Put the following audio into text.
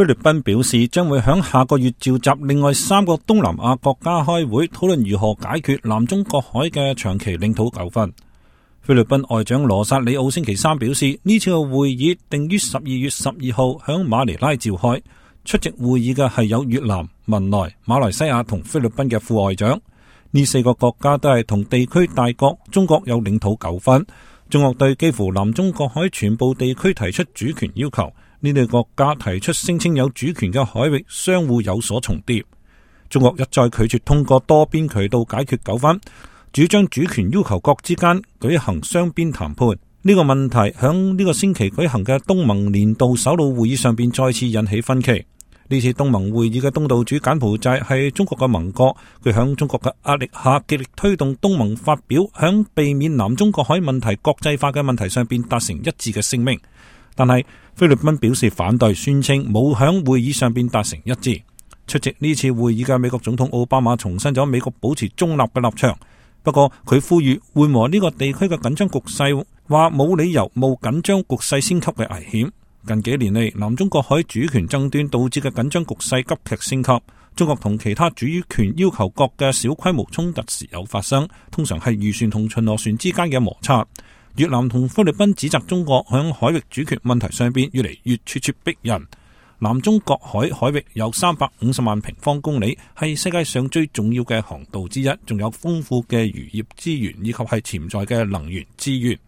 菲律賓表示將會響下個月召集另外3個東南亞國家開會，討論如何解決南中國海嘅長期領土糾紛。菲律賓外長羅薩里奧星期3表示，呢次嘅會議定於12月12號響馬尼拉召開，出席會議嘅係有越南、文萊、馬來西亞同菲律賓嘅副外長。呢4個國家都係同地區大國中國有領土糾紛，中國對幾乎南中國海全部地區提出主權要求。呢類國家提出聲稱有主權嘅海域相互有所重疊，中國一再拒絕通過多邊渠道解決糾紛，主張主權要求國之間舉行雙邊談判。呢個問題響呢個星期舉行嘅東盟年度首腦會議上邊再次引起分歧。呢次東盟會議嘅東道主柬埔寨係中國嘅盟國，佢響中國嘅壓力下極力推動東盟發表響避免南中國海問題國際化嘅問題上邊達成一致嘅聲明。但係菲律賓表示反對，宣稱冇響會議上邊達成一致。出席呢次會議嘅美國總統奧巴馬重申咗美國保持中立嘅立場，不過佢呼籲緩和呢個地區嘅緊張局勢，話冇理由冒緊張局勢升級嘅危險。近幾年嚟，南中國海主權爭端導致嘅緊張局勢急劇升級，中國同其他主權要求國嘅小規模衝突時有發生，通常係漁船同巡邏船之間嘅摩擦。越南同菲律賓指責中國響海域主權問題上邊越嚟越咄咄逼人。南中國海海域有350萬平方公里，係世界上最重要嘅航道之一，仲有豐富嘅漁業資源以及係潛在嘅能源資源。